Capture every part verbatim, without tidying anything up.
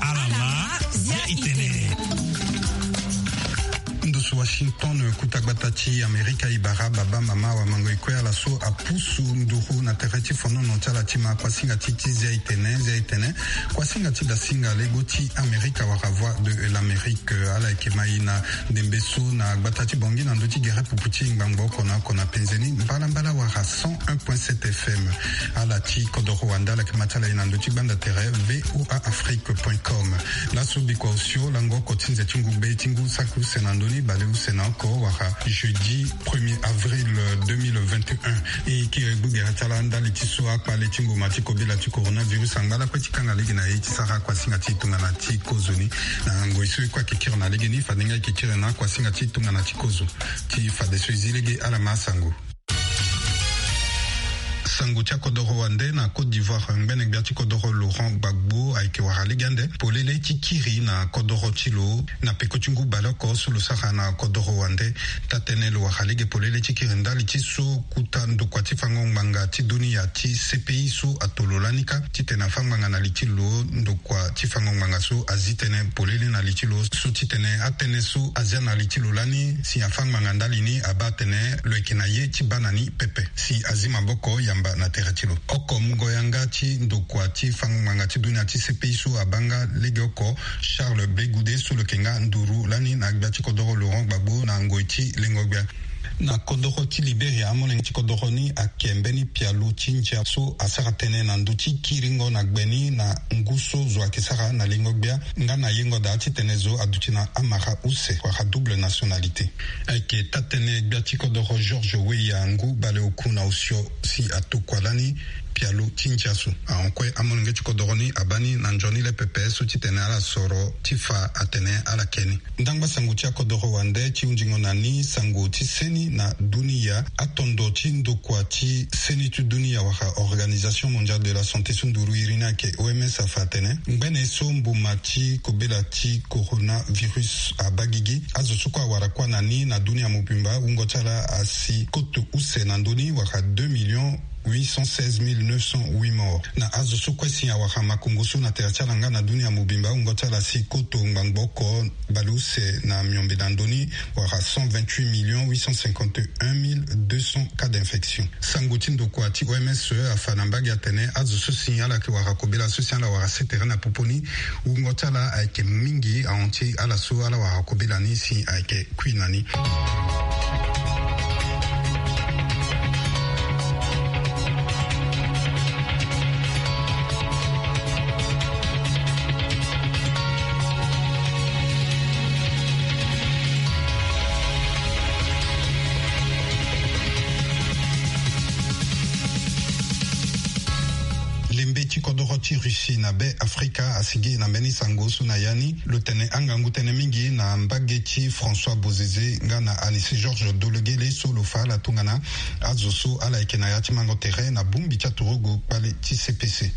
Alama, zia itene. Ndusu Washington, kuta gbata ti Amerika, ibara baba mama wa mango ikue ala so apusu nduru na tere ti fonono ti ala ti ma kuasinga ti ti zia itene, zia itene. Kuasinga ti dasinga lego ti Amerika wara Voix de l'Amérique, ala yeke ma i na ndembe so na gbata ti Bongi na ndö ti gere pupu ti ngbangbo oko na oko na penzeni mbalambala wara cent un point sept F M. Ala ti kodoro wande ala yeke ma ti ala i na ndö ti gbanda tere V O A Afrique point com. Laso bikua osio lango oko ti nze ti ngugbe ti ngu saki use na ndö ni bale use na oko wara jeudi premier avril deux mille vingt et un. E kiri gbugere ti ala ndali ti so akpale ti ngoma ti kobela ti coronavirus angba lakue ti kanga lege na ye ti sara kuasinga ti tongana ti kozoni. Na ngoi so e kue ayeke kiri na legeni fade nga e yeke kiri na kuasinga ti tongana ti kozo. Ti fadeso e zi lege ala ma asango. Sango ti akodoro wande na Côte d'Ivoire, ngbene gbia ti kodoro Laurent Gbagbo ayeke wara lege ande polele ti kiri na kodoro ti lo na peko ti ngu baleoko so lo sara na kodoro wande. Taa-tënë lo wara lege polele ti kiri ndali ti so kuta ndokua ti fango ngbanga ti dunia ti C P I so ato lo lani kâ titene afâ ngbanga na li ti lo. Ndokua ti fango ngbanga so azi tënë polele na li ti lo so titene atënë so azia na li ti lo lani si afâ ngbanga ndali ni abaa atene lo yeke na ye ti baa na ni pepe si azi maboko yamba na tere ti lo. Oko mungo yanga ti ndokua ti fango ngbanga ti dunia ti C P I so abaa nga lege oko Charles Blé Goudé so lo yeke nga nduru lani na gbia ti kodoro Laurent Gbagbo na ngoi ti lengo gbia. Na kodoro ti Liberia, amolenge ti kodoro ni ayeke mbeni pialo ti ndia so asara tënë na ndö ti kiringo na gbe ni na ngu so zo ayeke sara na lengo gbia nga na yengo daa titene zo aduti na amara use wala double nationalité. Ayeke taa-tënë gbia ti kodoro George Weah ngu baleoku na osio si atokua lani pialo ti ndia so. Ahon kue amolenge ti kodoro ni abaa ni na nzoni le pepe so titene ala soro ti fa atene ala ke ni. Ndangba sango ti akodoro wande ti hunzingo na ni sango ti seni na dunia. Atondo ti ndokua ti seni ti dunia wala Organisation Mondiale de la Santé so nduru iri ni ayeke O M S afa atene ngbene so mbuma ti kobela ti coronavirus abaa gigi, azo so kue awara kuâ na ni na dunia mobimba wungo ti ala asi koto use na ndö ni wala deux millions huit cent seize mille neuf cent huit morts. Na azo so kue si awara makongo so na tere ti ala nga na dunia mobimba wungo ti ala si koto ngbangbo oko baleuse na miombe na ndö ni wala cent vingt-huit millions huit cent cinquante et un mille deux cents cas d'infection. Sango ti ndokua ti O M S afa na mbage atene azo so si ala yeke wara kobela so si ala wara sere tere na popo ni, wungo ti ala ayeke mingi ahon ti ala so ala wara kobela ni si ayeke kui na ni. Lembe ti kodoro ti Russie na be Afrika asigi na mbeni sango so na ya ni. Lo tene angangu tënë mingi na mbage ti François Bozizé nga na Anicet Georges Dologuélé so lo fa ala tongana azo so ala yeke na ya ti mango tere na bongbi ti aturugu kpale ti C P C.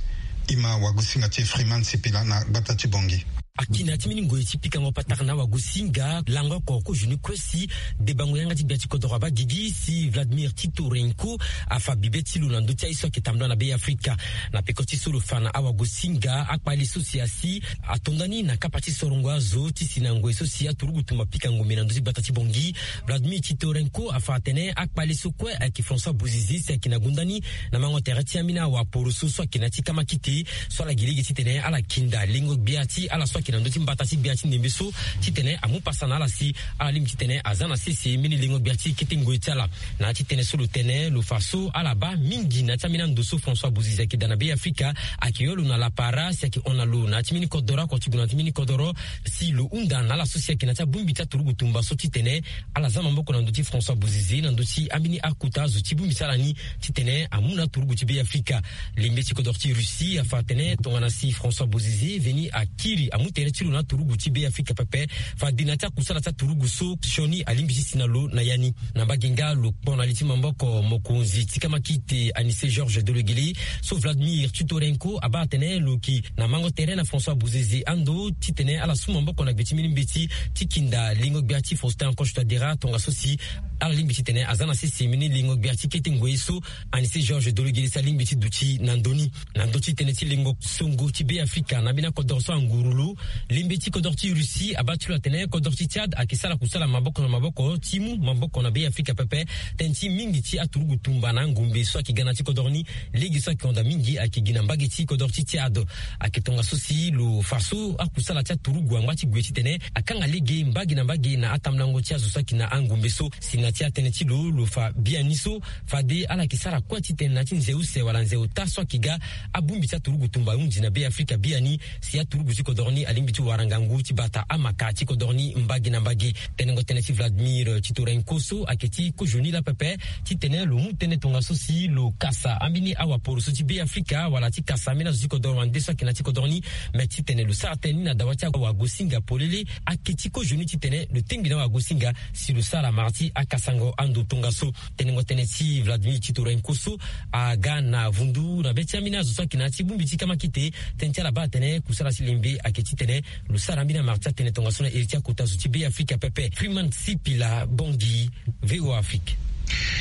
E ma wagosinga ti Freeman Sipila na gbata ti Bongi. Akina ti mbeni ngoi ti pikango patara na wagosinga lango oko kozoni kue si debango yanga ti gbia ti kodoro abaa gigi si Vladimir Titorenko afa bibe ti lo na ndö ti aye so ayeke tambula na be Afrika. Na peko ti so lo fa na awagosinga akpale so si asi atonda ni na kapa ti sorongo azo ti si na ngoi so si aturugu tumba pikango me na ndö ti gbata ti Bongi. Vladimir Titorenko afa atene akpale so kue ayeke François Bozizé si ayeke na gonda ni na mango tere ti ambeni awaporoso so ayeke na ya ti kamakite so ala gi lege titene ala kinda lengo gbia ti ala so ayeke na ndö ti mbata ti gbia ti ndembe so titene amu pasa na ala si ala lingbi titene aza na sese mbeni lengo gbia ti kete ngoi ti ala. Na ya ti tënë so lo tene lo fa so ala baa mingi na ya ti ambeni ando so François Bozizé ayeke daa na be Afrika ayeke yo lo na lapara si ayeke hon na lo na ya ti mbeni kodoro oko ti gue na ya ti mbeni kodoro si lo hunda na ala so si ayeke na ya ti abongbi ti aturugu tumba so titene ala za maboko na ndö ti François Bozizé na ndö ti ambeni akota zo ti bongbi ti ala ni titene amu na aturugu ti be Afrika. Lembe ti kodoro ti Russie afa atene tongana si François Bozizé veni akiri amu Tere ti lo na aturugu ti Be Afrika pepe. Fade na ti akusala ti aturugu so sioni alingbi ti si na lo na ya ni. Na mbage nga lo kpo na li ti maboko mokonzi ti kamakite Anise Georges Dologuele, so Vladimir Titorenko abaa atene lo yeke na mango tere na François Bozizé ando titene ala su maboko na gbe ti mbeni mbeti ti kinda lengo-gbia ti Faustin Archange Touadéra, tongaso si ala lingbi titene aza na sese mbeni lengo-gbia ti kete ngoi so Anise Georges Dologuele si alingbi ti duti na ndö ni. Na ndö ti tënë ti lengo songo ti Be Afrika na mbeni akodoro so anguru lo, lembe ti kodoro ti Russie abaa ti lo atene kodoro ti Tchad ayeke sara kusala maboko na maboko ti mu maboko na Be Afrika pepe. Tënë ti mingi ti aturugu tumba na angombe so ayeke ga na ya ti kodoro ni, lege so ayeke hunda mingi ayeke gi na mbage ti kodoro ti Tchad. Ayeke tongaso si lo fa so akusala ti aturugu angba ti gue titene akanga lege mbage na mbage na atambulango ti azo so ayeke na angombe so. Si na ya ti atënë ti lo, lo fa biani so fade ala yeke sara kue titene na ya ti nze use wala nze ota so ayeke ga, abongbi ti aturugu tumba ahunzi na Be Afrika biani. Si aturugu ti kodoro ni alingbi ti wara ngangu ti bata amaka ti kodoro ni mbage na mbage. Tenengo tënë ti Vladimir Titorenko so ayeke ti kozoni laa pepe titene lo mu tënë tongaso si lo kasa ambeni awaporo so ti Be Afrika wala ti kasa ambeni azo ti kodoro wande so ayeke na ya ti kodoro ni. Me titene lo sara tënë ni na dawa ti awagosinga polele, ayeke ti kozoni titene lo tengbi na awagosinga si lo sara mara ti akasango ando tongaso. Tenengo tënë ti Vladimir Titorenko so aga na vundu na be ti ambeni azo so ayeke na ya ti bongbi ti kamakite. Tënë ti ala baa atene kusala ti lembe ayeke titene lo sara ambeni amara ti atene tongaso na iri ti akota zo ti Be Afrika pepe. Freeman Sipila Bongi, V O A Afrique.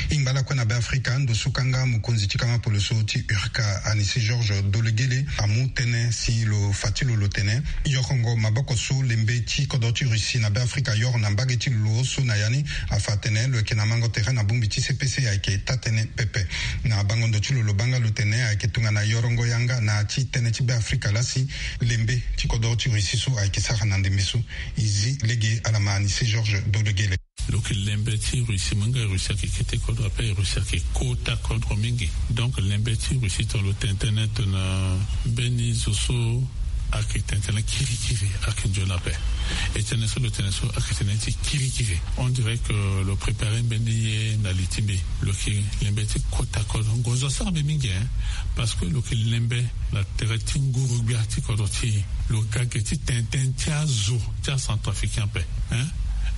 E ngba lakue na Be Afrika, ndo so kanga mokonzi ti kama poloso ti URCA, Anise Georges Dologuele, amu tënë si lo fa ti lo lo tene yorongo maboko so lembe ti kodro ti Russie na Be Afrika yoro na mbage ti lo so na ya ni, afa atene lo yeke na mango tere na bongbi ti C P C ayeke taa-tënë pepe. Na bango ndo ti lo, lo baa nga lo tene ayeke tongana yorongo yanga na ya ti tënë ti Be Afrika laa si lembe ti kodro ti Russie so ayeke sara na ndembe so. E zi lege ala ma Anise Georges Dologuele. Lo yeke lembe ti Russie, mo hinga Russie ayeke kete kodro ape, Russie ayeke kota kodro mingi. Donc lembe ti Russie tongana lo tene tënë tongana mbeni zo so ayeke tene tënë kirikiri ayeke nzoni ape. E tënë so lo tene so ayeke tënë ti kirikiri. On dirait que lo prépare mbeni ye na li ti mbi. Lo yeke lembe ti kota kodro, ngonzo asara mbi mingi, hein, parce que lo yeke lembe na tere ti nguru-gbia ti kodro ti e. Lo ga ge ti tene tënë ti azo ti acentrafricain ape, hein.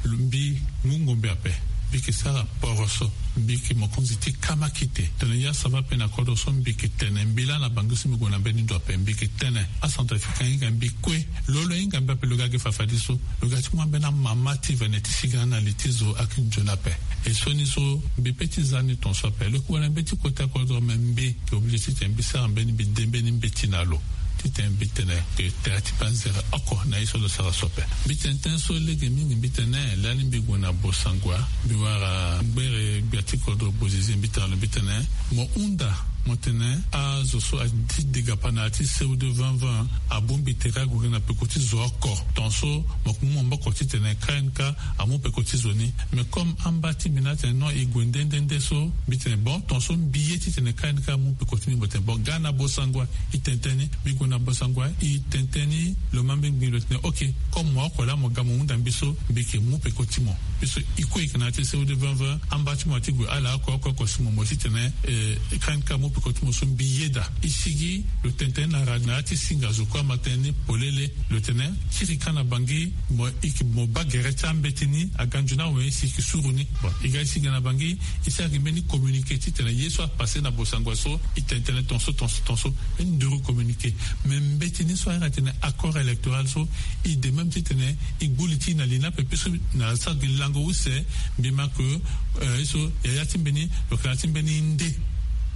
Lo mbi ngu ngombe ape, mbi yeke sara poroso, mbi yeke mokonzi ti kamakite. Tongana ya sava ape na kodro so mbi yeke tene, mbi laa na Bangui so mbi gue na mbeni ndo ape, mbi yeke tene acentrafricain ahinga mbi kue. Lo lo ahinga mbi ape, lo ga ge fafadeso. Lo ga ti mu ambeni amama ti vene ti siga na li ti zo ayeke nzoni ape. E sioni so mbi pe ti za ni tongaso ape. Lo yeke wara mbeti kota kodro, me mbi yeke obligé titene mbi sara mbeni, mbi de mbeni mbeti na lo titene mbi tene ke tere ti panzere oko na ye so lo sara so ape. Mbi tene tënë so lege mingi, mbi tene lani mbi gue na Bossangoa, mbi wara gbere gbia ti kodro Bozizé, mbi tene na lo, mbi tene mo hunda, mo tene azo so ati degapa na ya ti C O deux vingt vingt abongbi tere ague na peko ti zo oko. Tongaso mo yeke mu maboko titene K N K amu peko ti zo ni. Mais comme amba ti mbi ni atene non, e gue nde nde nde so, mbi tene bon, tongaso mbi ye titene K N K amu peko ti ni. Mo tene bon, ga na Bossangoa, e tene tënë ni. Mbi gue na Bossangoa, e tene tënë ni. Lo ma mbeni gbin, lo tene ok, comme mo oko laa mo ga mo hunda mbi so, mbi yeke mu peko ti mo. Mbi so e kue e yeke na ya ti C O deux vingt vingt, amba ti mo ati gue ala oko oko oko si mo mo titene, eh, K N K amu peko ti mo so mbi yeda. E sigi, lo tene tënë ni na ra na ya ti singa zo kue, ama tënë ni polele. Lo tene kiri ka na Bangui, mo, e yeke mo baa gere ti ambeti ni aga nzoni awe si e yeke suru ni. Bon, e ga e sigi na Bangui, e sara gi mbeni communiqué titene ye so apassé na Bossangoa so, e tene tënë tongaso, tongaso, tongaso. Mbeni nduru communiqué. Mais mbeti ni so ahiri atene accord électoral so, e de même titene e gbu li ti e na li ni ape. Mbi so na sara gi lango use, mbi ma ke, eh, ye so yaya ti mbeni, lo yeke na ya ti mbeni nde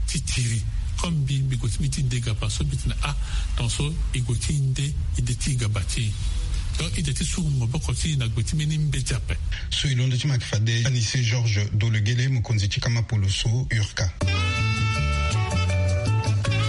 ti tiri. Comme mbi, mbi gue ti mbi ti degapa so, mbi tene ah, tongaso e gue ti nde ide ti gaba ti e. Donc ide ti suru maboko ti e na gbe ti mbeni mbeti ape. So e londo ti ma yeke fade Anise Georges Dologuele, mokonzi ti kama poloso URCA.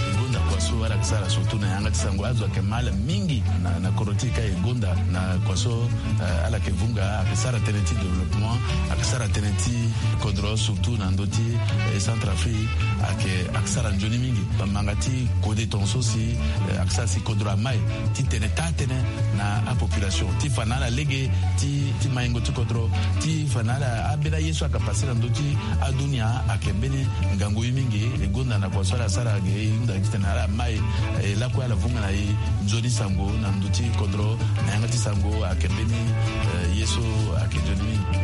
E gonda kua so ala yeke sara surtout na yanga ti sango, azo ayeke ma ala mingi na, na kodro ti e ka. E gonda na kua so, eh, ala yeke vunga, ayeke sara tënë ti développement, ayeke sara tënë ti kodro, surtout na ndö ti, eh, Centrafrique, ayeke, ayeke sara nzoni mingi. Bamanga ti kode tongaso si, eh, ayeke sara si kodro amai ti tene taa-tënë na apopulation, ti fa na ala lege ti, ti maingo ti kodro, ti fa na ala ambeni aye so ayeke passe na ndö ti adunia. Ayeke mbeni ngangu ye mingi. E gonda na kua so ala sara ge, e hunda titene ala mai, eh, lakue ala vunga na e nzoni sango na ndö ti kodro. Nga ti sango ayeke mbeni, eh, ye so ayeke nzoni mingi.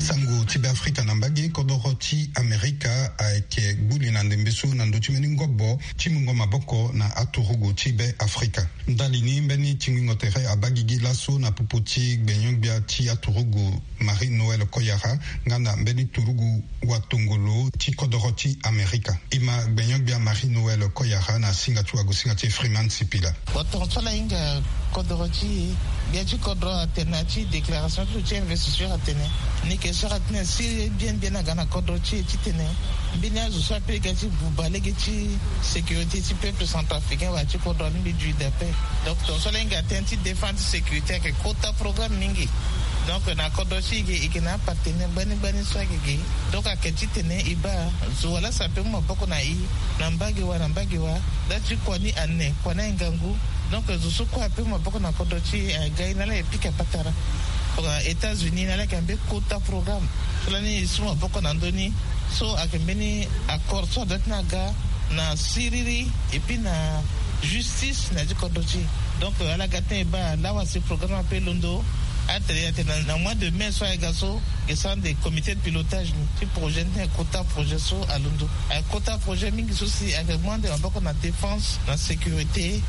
Sango ti Be Afrika na mbage. Kodoro ti Amerika ayeke gbu li na ndembe so na ndö ti mbeni ngobo ti mungo maboko na aturugu ti Be Afrika. Ndali ni mbeni tingbingo tere abaa gigi laso na popo ti gbenyo-gbia ti aturugu Marie Noël Koyara nga na mbeni turugu watongolo ti kodoro ti Amerika. E ma gbenyo-gbia Marie Noël Koyara na singa ti wagosinga ti e Freeman Sipila. Bon, tongaso ala hinga kodoro ti e, gbia ti kodoro atene na ya ti déclaration ti lo ti investiture atene, ni yeke sara tënë siriri bien bien aga na kodoro ti e titene mbeni azo so ape ga ti buba lege ti sécurité ti peuple centrafricain wala ti kodro alingbi dui dape. Donc tongaso ala hinga tënë ti défense ti sécurité ayeke kota programme mingi. Donc na kodro ti e ge, e yeke na apartenaire gbani gbani so ayeke ge. Donc ayeke titene e baa zo wala so ape mu maboko na e na mbage wa na mbage wa. Nda ti kua ni ane, kua ni aye ngangu. Donc zo so kue ape mu maboko na kodro ti e aga e na ala e pika patara. États-Unis na ala yeke na mbeni kota programme. So lani e su maboko na ndö ni. So ayeke mbeni accord so adoit ti na aga na siriri et puis na justice na ya ti kodro ti e. Donc ala ga tënë e baa lawa si programme ape londo. Atene atene na mois de mai so aye ga so, e sara nde comité de pilotage ni ti projet ni titene kota projet so alondo. Aye kota projet mingi so si ayeke mu ande maboko na défense, na sécurité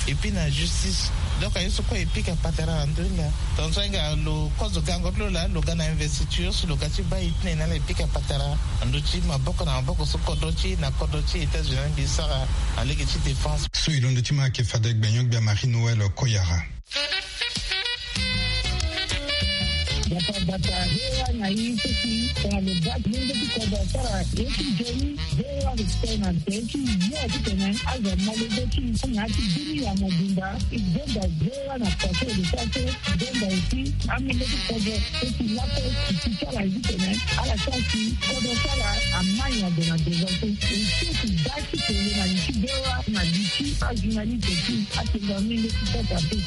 et puis na justice. Donc aye so kue e pika patara na ndö ni laa. Tongaso ahinga lo kozo gango ti lo laa lo ga na investiture so lo ga ti baa e tene na ala e pika patara na ndö ti maboko na maboko so kodro ti e na kodro ti États-Unis alingbi e sara na lege ti défense. So e londo ti ma ayeke fade gbenyo-gbia Marie Noël Koyara. Bata bata hewa na i seki tongana lo baa ti lenge ti kodro asara ye ti nzoni. Hewa respect na tënë ti yo titene azo amolenge ti na ya ti bini ya mobimba. E zonza hewa na kua so e lo sara so. Zonza aussi amolenge ti kodro so ti lako ti ti ti ala ye titene ala sara si kodro ti ala amai na gue na devant so. E so ti baa ti kele na li ti hewa na li ti ajournaliste ti atengo amolenge ti kota pe.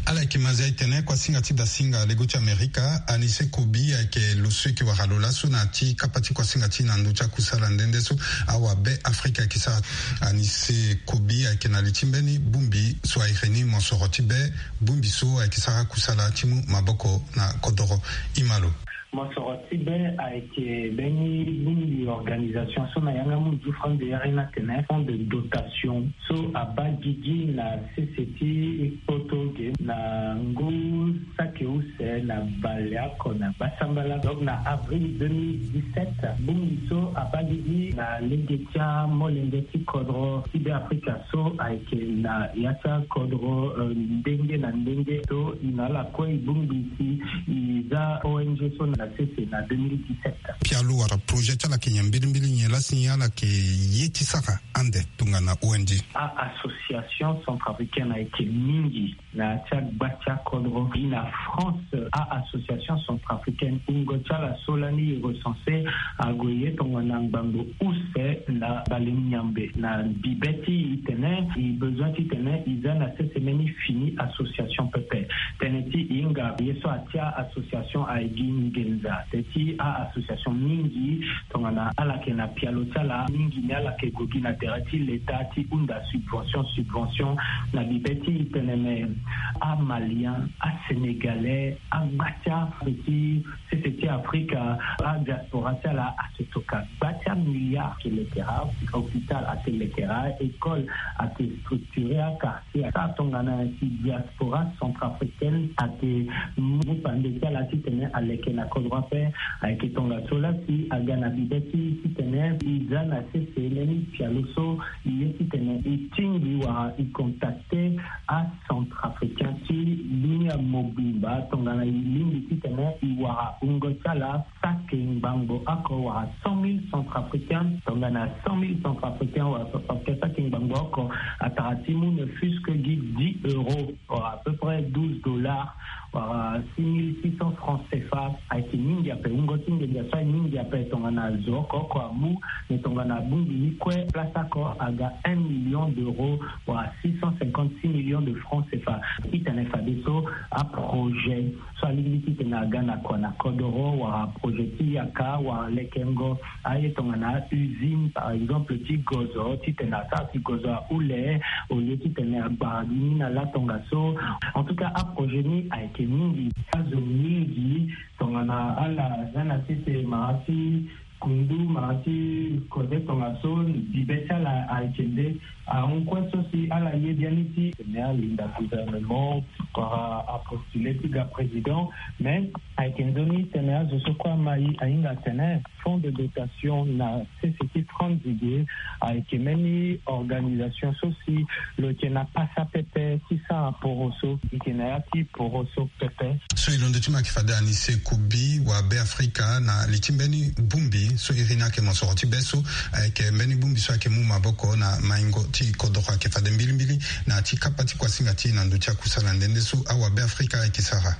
Ala yeke ma zia e tene kuasinga ti dasinga lego ti Amerika, Anise Kobi ayeke lo so e yeke wara lo laso na ya ti kapa ti kuasinga ti e na ndö ti akusala nde nde so awabe Afrika ayeke sara. Anise Kobi ayeke na li ti mbeni bongbi so a iri ni mosoro ti be, bongbi so ayeke sara kusala ti mu maboko na kodoro. E ma lo. Mosoro ti be ayeke mbeni bongbi organisation so na yanga munzu Fran de Yari na tene fonds de dotation so abaa gigi na sese ti kpoto ge na ngu saki use na baleoko na gbasambala. Donc na avril deux mille dix-sept, bongbi so abaa gigi na lege ti amolenge ti kodro ti be Afrika so ayeke na ya ti akodro, eh, ndenge na ndenge so e na ala kue e bongbi si e za O N G so na sese na deux mille dix-sept. Pialo wala projet ti ala yeke nyen mbirimbiri, nyen lasi nyen ala yeke ye ti sara ande tongana O N G? A-association centrafricaine ayeke mingi na ya ti agba ti akodro. Gi na France, a-association centrafricaine, wungo ti ala so lani e recense ague ye tongana ngbangbo use na bale nyambe. Na bibe ti e tene e besoin titene e za na sese mbeni fini association pepe. Tënë ti e hinga ye so atia association aye gi nginza. Tënë ti a-association mingi tongana ala yeke na pialo ti ala, mingi ni ala yeke gue gi na tere ti leta ti hunda subvention, subvention na bibe ti e tene me amalien, asénégalais, agba ti ape ti sese ti Afrika, adiaspora ti ala ayeke toka gba ti amilliard. Ayeke lekera hôpital, ayeke lekera école, ayeke structuré aka. Aka tongana si diaspora centrafricaine ayeke mu pande ti ala titene aleke na kodro ape. Ayeke tongaso lasi aga na bibe ti titene e za na sese mbeni pialo so e ye titene e tingbi wala e contacte acentrafricain ti dunia mobimba tongana e lingbi titene e wara wungo ti ala saki ngbangbo oko wala cent mille centrafricains. Tongana cent mille centrafricains wala centrafricains saki ngbangbo oko, atara ti mu ne fût-ce que gi dix euros, wala à peu près douze dollars, Wala six mille six cents francs cfa. Ayeke mingi ape, wungo ti nginza so aye mingi ape tongana zo oko oko amu. Me tongana abongbi ni kue, place oko aga un million d'euros, wala six cent cinquante-six millions de francs cfa. Titene fadeso aprojet so alingbi titene aga na kua na kodoro, wala projet ti yaka wala lekengo aye tongana usine par exemple ti gozo, titene asara ti gozo ahule, au lieu titene agbara gi ni na latongaso. En tout cas aprojet ni ayeke mingi. Azo mingi tongana ala za na sese mara ti kundu mara ti koze tongaso, bibe ti ala ayeke nde ahon kue so si ala ye biani ti tene alinda gouvernement wala apostule ti ga président. Mais ayeke nzoni tene azo so kue amai ahinga atene fonds de dotation na sese ti franc nzege ayeke mbeni organisation so si lo yeke na pasa pepe ti sara poroso. Eke na ya ti poroso pepe. So e londo ti ma ayeke fade anise kubi wa Beafrika na li ti mbeni bongbi so iri ni ayeke mosoro ti be so ayeke mbeni bongbi so ayeke mu maboko na maingo ti kodoro ayeke fade mbilimbili na ya ti kapa ti kuasinga ti e na ndö ti akusala nde nde so awa Beafrika ayeke sara.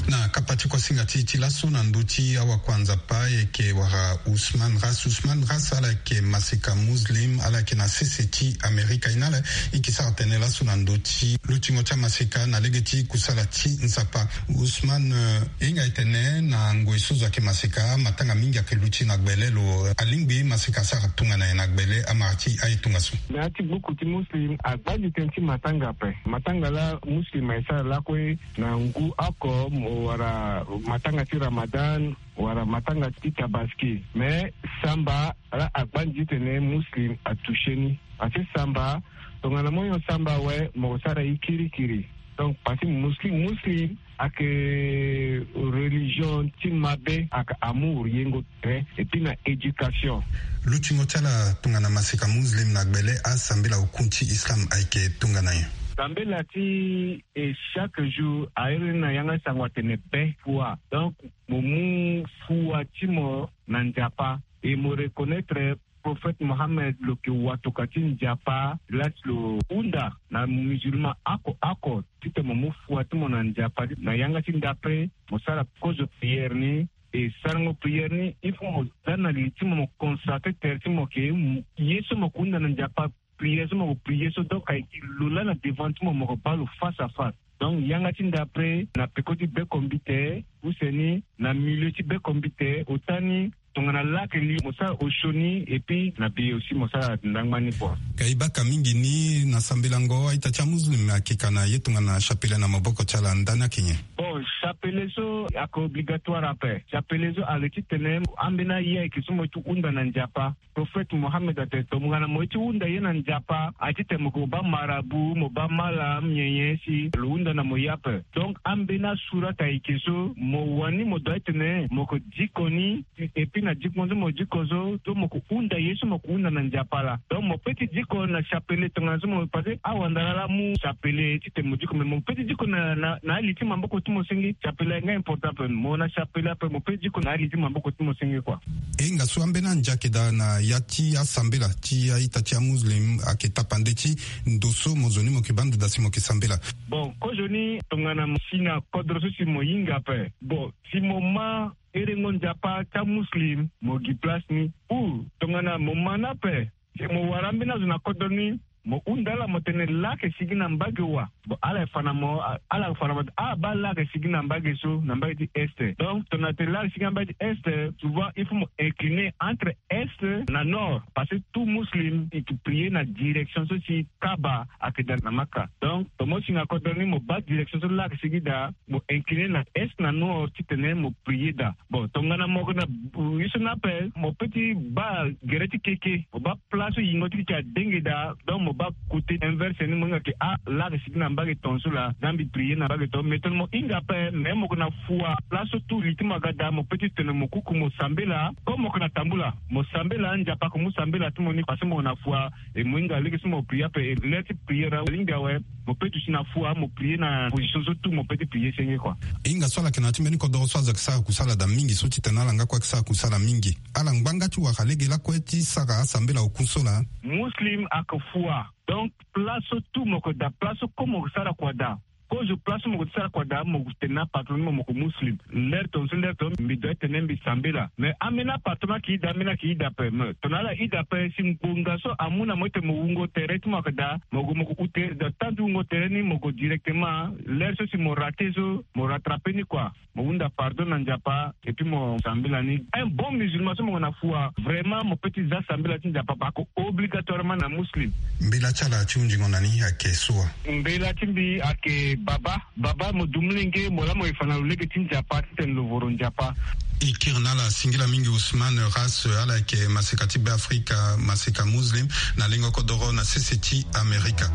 Na kapa ti kosinga ti ti laso na ndö ti awakuanzapa e yeke wara Ousmane Ras. Ousmane Ras ala yeke maseka muslim, ala yeke na sese ti Amerika. E na ala e yeke sara tënë laso na ndö ti lutingo ti amaseka na lege ti kusala ti Nzapa. Ousmane, eh, e hinga e tene na ngoi so zo ayeke maseka, matanga mingi ayeke luti na gbele lo. Alingbi maseka asara tongana nyen na gbele amara ti aye tongaso? Na ya ti gbuku ti muslim, agbanzi tënë ti matanga ape. Matanga laa muslim ayeke sara lakue na ngu oko mo wara matanga ti Ramadan wala matanga ti Tabaski. Me samba laa agbanzi titene muslim atouché ni. Parce que samba, tongana mo hon samba awe, mo sara ye kirikiri. Donc parce que muslim, muslim ayeke religion ti mabe, ayeke amour, yengo tere, et puis na éducation. Lutingo ti ala tongana maseka muslim na gbele, asambela hukun ti islam ayeke tongana nyen? Sambela ti e chaque jour a iri ni na yanga sango atene be fua. Donc mo mu fua ti mo na Nzapa, e mo reconnaître prophète Mohammed lo yeke watoka ti Nzapa, laa si lo hunda na musulman oko oko titene mo mu fua ti mo na Nzapa. Na yanga ti ndapre mo sara kozo prière ni. E sarango prière ni, il faut mo za na li ti mo, mo consacrer tere ti mo ke ye so mo yeke hunda na Nzapa, prière so mo yeke prier so, donc ayeke lo laa na devant ti mo, mo yeke baa lo face à face. Donc yanga ti ndapre na peko ti bekombite, use ni na milieu ti bekombite, ota ni tongana laa ayeke li mo sara osio ni, et puis na be aussi mo sara ndangba ni kua. Ka e baka mingi ni na sambelango a-ita ti amuslim ayeke ka na ye tongana chapelet na maboko ti ala, ndani ayeke nyen? Bon, chapelet so ayeke obligatoire ape. Chapelet so ayeke titene ambeni aye ayeke so mo ye ti hunda na Nzapa. Prophète Mohammed atene tongana mo ye ti hunda ye na Nzapa, a titene mo yeke mo baa marabout, mo baa malam, nyen nyen si lo hunda na mo ye ape. Donc ambeni asurat ayeke so mo wani mo doit titene mo yeke diko ni, et puis na diko so mo diko so, so mo yeke hunda ye so mo yeke hunda na Nzapa laa. Donc mo peut ti diko na chapelet tongana so mo, parce que awandara laa amu chapelet titene mo diko, mais mo peut ti diko na, na, na ali ti maboko ti mo senge. Chapelet ayeke nga important ape. Mo na chapelet ape, mo peut ti diko na ali ti maboko ti mo senge kua. E hinga so ambeni ande ayeke daa na ya ti asambela ti a-ita ti amuslim ayeke tapande ti ndo so mo zo ni mo yeke baa ndo daa si mo yeke sambela? Bon, kozoni tongana mo si na kodro so si mo hinga ape. Bon, si mo ma herengo Nzapa ti amuslim, mo gi place ni. Ou tongana mo ma ni ape, si mo wara ambeni azo na kodro ni, mo hunda ala mo tene laa ayeke sigi na mbage wa. Bon, ala yeke fa na mo, ala yeke fa na mo, ah, baa laa ayeke sigi na mbage so, na mbage ti est. Donc tongana tene laa ayeke sigi na mbage ti est, souvent il faut mo incliner entre est na nord, parce que tout muslim e yeke prier na direction so si Kaaba ayeke daa na Maka. Donc tongana mo si na kodro ni, mo baa direction so laa ayeke sigi daa, mo incliner na est na nord titene mo prier daa. Bon, tongana mo yeke na, euh, ye so ni ape, mo peut ti baa gere ti keke, mo baa place so yingo ti keke adenge daa. Donc mo Baa kote inverse ni, mo hinga ke, ah, laa ake sigi na mbage tongaso laa, za mbi prier na mbage tongaso. Mais tongana mo hinga ape, mais mo yeke na fua. Place so tout li ti mo aga daa, mo peut ti tene mo kuku mo sambela. Comme mo yeke na tambula, mo sambela, Nzapa ake mu sambela ti mo ni, parce que mo yeke na fua. E mo hinga lege so mo prier ape, e l'heure ti prier alingbi awe. Mo peut ti si na fua, mo prier na position so tout mo peut ti prier senge, quoi. Hinga so ala yeke na ya ti mbeni kodoro so azo ayeke sara kusala daa mingi, so ti tene ala nga kue ayeke sara kusala mingi. Ala ngbanga ti wara lege lakue ti sara asambela oku so laa. Muslim ake fua. Donc, place so tout mo yeke daa, place so comme mo yeke sara kua daa. Kozo place so mo yeke sara kua daa, mo yeke tene na patron ni mo, mo yeke muslim. L'heure tongaso, l'heure tongaso, mbi doit ti tene mbi sambela. Mais ambeni apatron ni ayeke daa, ambeni ayeke daa ape. Mais tongana ala daa ape, si ngbonga so amu na mo ti tene mo wungo tere ti mo ayeke daa, mo gue mo gue ute, donc temps ti wungo tere ni mo gue directement. L'heure so si mo rater so, mo rattraper ni, quoi. Mo hunda pardon na Nzapa, et puis mo sambela ni. Un bon musulman so mo yeke na fua, vraiment mo peut ti za sambela ti Nzapa, parce que obligatoirement na muslim. Mbela ti ala ti hunzingo na ni ayeke so wa? Mbela ti mbi ayeke Baba. Baba, mo du molenge, mo laa mo ye fa na lo lege ti Nzapa, ti tene lo voro Nzapa. E kiri na ala singila mingi Ousmane Ras, ala yeke maseka ti Beafrika, maseka muslim, na lengo kodoro na sese ti Amerika.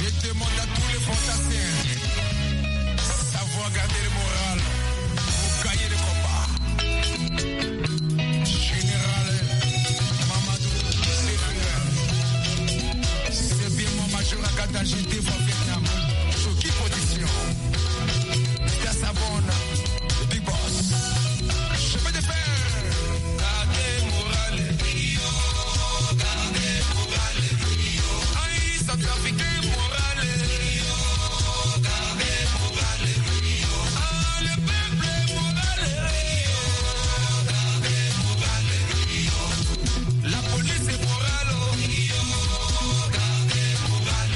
Je demande à tous les fantassins savoir garder le moral pour gagner le combat. Général Mamadou Sefer, c'est bien mon major à Gata, j'étais voir Vietnam. Sur qui position? Mister Savon, le big boss. Chemin de fer. Gardez moral. Gardez moral. Aïe, centrafricain moral. Gardez moral. Ah, le peuple moral. Gardez moral. La police est morale. Gardez moral.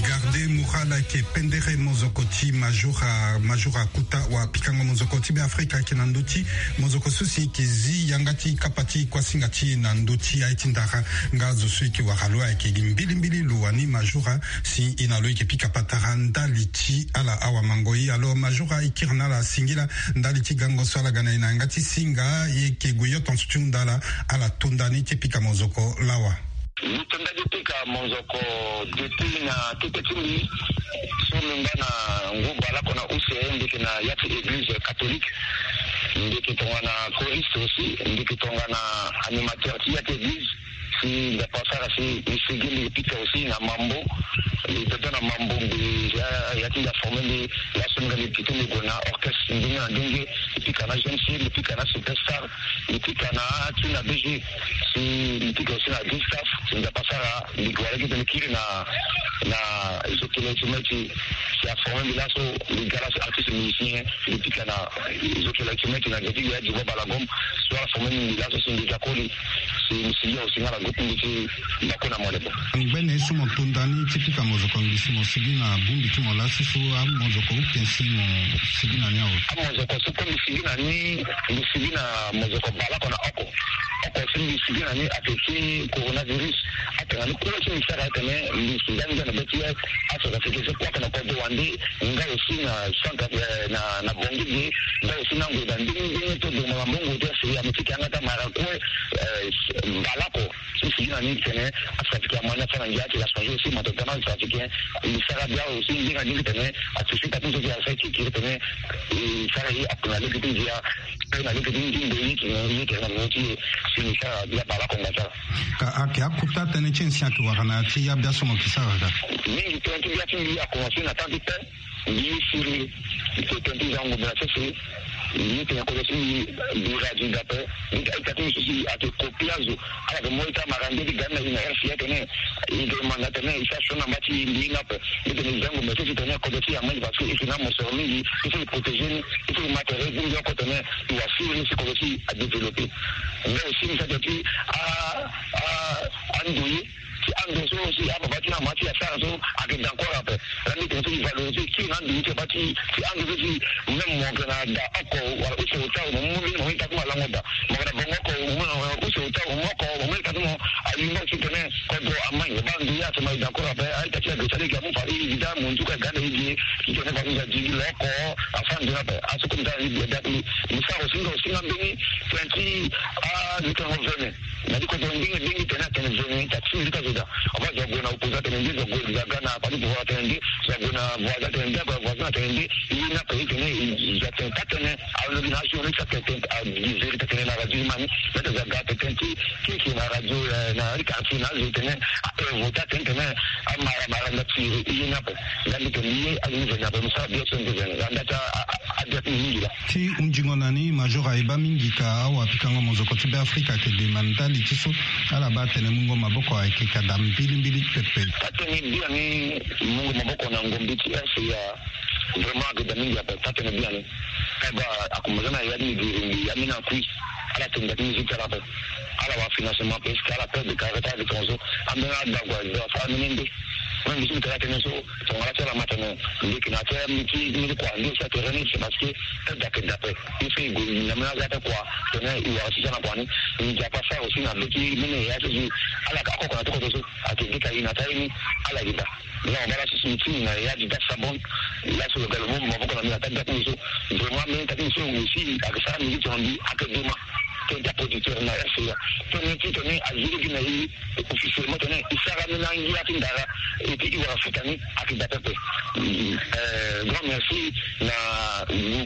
Gardez moral ayeke pendere mozoko ti major, major akuta wa pikango mozoko ti Beafrika ayeke na ndö ti mozoko so si e yeke zi yanga ti kapa ti kuasinga ti e na ndö ti aye ti ndara. Nga zo so e yeke wara lo ayeke gi mbilimbili lo wani major, si e na lo e yeke pika patara ndali ti ala awamango e. Alors major, e kiri na ala singila ndali ti gango so ala ga na e na yanga ti singa, e yeke gue yo tonso ti hunda ala, ala to nda ni ti pika mozoko lawa. Mbi to nda ti pika mozoko depuis na tete ti mbi so mbi ngba na ngu bale oko na use, mbi yeke na ya ti église catholique. Mbi yeke tongana choriste aussi, mbi yeke tongana animateur ti ya ti église. Si Nzapa asara si mbi sigi, mbi pika aussi na mambo. Mbi toto na mambo, mbi ya, ya ti mbi aforme mbi laso, mbi ga mbi pito mbi gue na orchestre ndenge na ndenge. Mbi pika na G M C, mbi pika na Superstar, mbi pika na ti na B G. Si mbi pika aussi na Green Staff. Si Nzapa asara mbi gue wala gi tene kiri na, na Zokele ti meti. Si aforme mbi laso, mbi ga laso artiste musicien. Mbi pika na Zokele ti meti na geti ya Djibo Balagom. So aforme mbi laso si mbi ga koli. Si mbi sigi aussi nga na groupe mbi ti Bako na Molebo. Ngbene so mo to nda ni ti pika mozoko, mbi si mo sigi na bongbi ti mo lasi so amozoko uken si mo sigi na ni awe? Amozoko so kue mbi sigi na ni, mbi sigi na mozoko bale oko na oko. Oko si mbi sigi na ni ayeke ti coronavirus. Atene ni kue ti mbi sara atene mbi si nda ni nda na be ti acentrafricain so kue ayeke na kodro wande. Nga aussi na centre, eh, na, na Bangui ge. Nga aussi na ngoi da ndenge ndenge to doma na mbongo ti aseyi ame ti ke yanga ti amara kue, eh, bale oko. Si sigi na ni tene acentrafricain amani afa na ngia ti la changer aussi, ma tongana acentrafricain mbi sara bia aussi ndenge na ndenge tene atusi ta ti nzoni ti asara ti kiri tene e sara ye akuna lege ti ngia. Pe na lege ti ngingo ye ti, ye ti na mo ti ye. Si mbi sara bia bale oko nga sara. Ka ayeke akuta tënë ti nyen si ayeke wara na ya ti ya bia so mo yeke sara ka? Mingi tënë ti bia ti mbi akomanse na temps ti pe. Mbi ye siriri. Mbi tene ti zango bena sese. Mbi ye tene kodro ti mbi bira di dape. Mbi ta ita ti mbi so si ayeke kopi azo. Ala yeke mo ita mara nde ti ga ni na e na R C A tene. E yeke manda tene e sara sioni na mba ti e, mbi hinga ape. Mbi tene zango bena sese tene kodro ti e amai parce que e yeke na mosoro mingi. Il faut e protéger ni. Il faut e ma tere ti mbi oko tene e wara siriri si kodro ti e adévelopper. Nga aussi mbi sara tene ti a, a, ando ye. Ti ando so si ababa ti na mama ti asara so ayeke d'accord ape. Laa mbi tene so e valoriser kiri na ando ye ti aba ti, ti ando so si même mo yeke na da oko wala use ota mo mu mbeni mo mu ita ti mo alango da. Mo yeke na bongo oko mo mu use ota mo mu oko mo mu ita ti mo. Ayingo si tene kodro amai ba ando ye atene ma e d'accord ape. A-ita ti agresa lege amu fa e gi da mo nduku aga na e gi. Titene baa ni za diri lo oko. Afa nzoni ape aso comme ça ni bia date ni. Ni sara aussi nga aussi nga mbeni tene ti a ni tene vene. Na ti kodro ndenge ndenge tene atene vene ta ti ni ta zo daa. Afa zo ague na opposant atene nde, zo ague za ga na parti pouvoir atene nde, zo ague na voisin atene nde, ague na voisin atene nde. Ye ni ape ye tene zo atene ta tene. Alondo gi na azo ni ti atene tene agi vérité atene na radio ni ma ni. Mete za ga atene tene ti ti si na radio na ri quartier na azo tene a invota tene tene. Amara mara na ti ye ni ape. Nga mbi tene ye azo ni vene ape mbi sara bien so mbi vene nga nda ti a a a dia ti mingi laa. Ti hunzingo na ni major aye baa mingi ka awapikango mozoko ti Beafrika ayeke de ma ndali ti so ala baa atene mungo maboko ayeke ka daa mbilimbili pepe. Taa tënë biani mungo maboko na ngombi ti RCA. Vraiment ayeke daa mingi ape taa tënë biani. Kaba akomanse na ya ti migiri mbi ya mbi na kui. Ala tene daa ti mbi so ti ala ape. Ala wara financement parce que ala peur de caractère de tonso. Ambeni ala dagua do asara mene nde. Même mbi so mbi tene atene so. Tongana ti ala ma tene mbi yeke na ti mbi ti mbi ti kua nde si atere ni c'est parce que aide ayeke daa ape. Il faut e gue na mbi na aza ape kua. Tene e wara si ti ala kua ni. Mbi nzapa sara aussi na be ti mbi na ya so si ala yeke akoko na ti kodro so. Ayeke ge ka e na ti aye ni. Ala yeke daa. Nga mabala so si mbi ti mbi na ya di da sabon. Laso lo ga lo mu maboko na mbi na ta da ti mbi so. Vraiment mbi na ta ti mbi so aussi ayeke sara mbi ti tongana mbi ayeke dema. Tene ti aproducteur na RCA. Tene ti tene aziri gi na e. Officiellement tene e sara ni na ngia ti ndara. Et puis e wara futa ni ayeke daa pepe. Grand merci na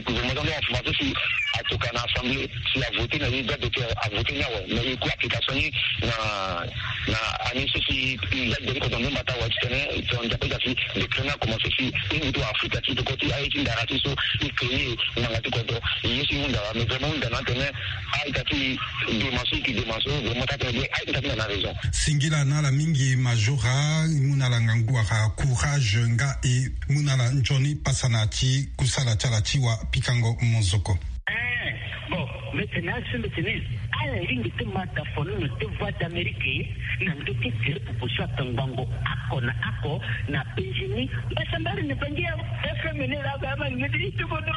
gouvernement ti ande information si atoka na assemblée si avote na ye droit d'auteur avote ni awe mais e ku application ni na na année so si e ga deri kodro nde mbata awe titene tongana nzapa e ga si décret ni akomanse si e ngu ti wara futa ti toko ti aye ti ndara ti so e créer ngbanga ti kodro. E ye so e hunda awe mais vraiment hunda na atene a-ita ti dema so e yeke dema so vraiment taa tënë bien a-ita ti na na raison. Singila na ala mingi majora e mu na ala ngangu wala courage nga e mu na ala nzoni pasa na ti kusala ti ala ti wapikango mozoko. Eh, bon, mbi tene asi mbi tene ala lingbi ti ma dafono na ti voix d'Amérique na ndö ti gere pupu so atongbango ako na ako na penzi ni. Mbasambari ni bangi ya FM ni la ba ma ngedi ti bodo.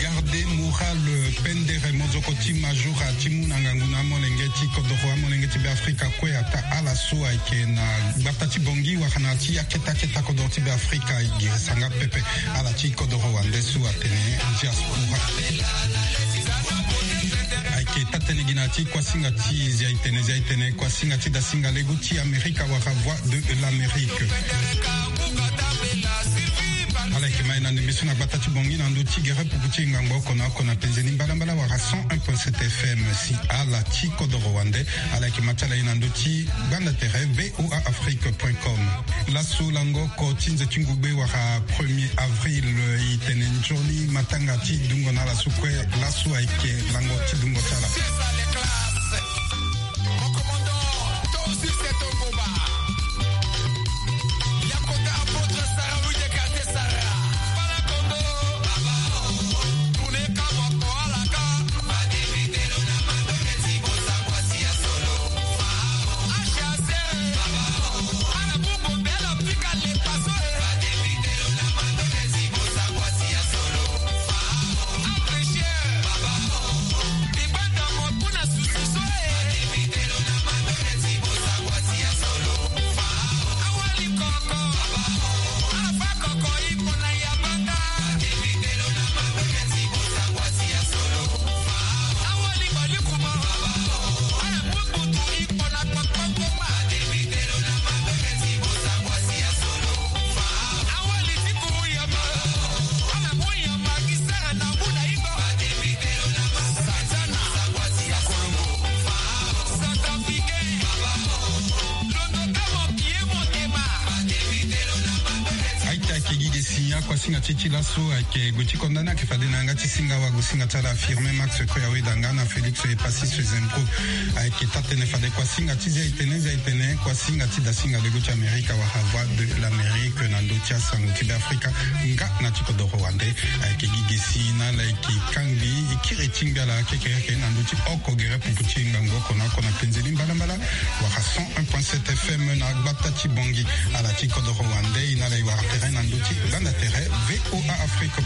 Garde moral pendere mozoko ti majora ti mu na ngangu na amolenge ti kodoro amolenge ti Beafrika kue ata ala so ayeke na gbata ti Bangui wala na ti akete akete kodoro ti Beafrika e girisa nga pepe. Ala ti kodoro wande so atene diaspora. Ayeke taa tënë gi na ti kuasinga ti zia e tene zia e tene kuasinga ti dasinga legu ti Amerika wala Voix de l'Amérique. Ala yeke ma e na ndembe so na gbata ti Bangui na ndö ti gere puku ti ngangu oko na oko na penze ni mbalambala wala cent un point sept FM si ala ti kodoro wande. Ala yeke ma ti ala ye na ndö ti gbanda tere voa afrique point com. Laso lango oko ti nze ti ngugbe wala premier avril e tene nzoni matanga ti dungo na ala so kue. Laso ayeke lango ti dungo ti ala. Nga ti ti laso ayeke gue ti konda ni ayeke fade na yanga ti singa wago singa ti ala Firmin Max Koya Wedanga na Félix Epasis Zemko. Ayeke taa-tënë fade kuasinga ti Zia-itene, Zia-itene, kuasinga ti dasinga lego ti Amerika wala Voix de l'Amérique na ndö ti asango ti Beafrika. Nga na ti kodoro wande ayeke gi gesi na ala ayeke kangbi kiri ti ngbi ala kekereke na ndö ti oko gere pupu ti ngangu oko na oko na penzeli mbalambala wala cent un point sept F M na gbata ti Bangui. Ala ti kodoro wande e na ala e wara tere na ndö ti gbanda tere V O A Afrique.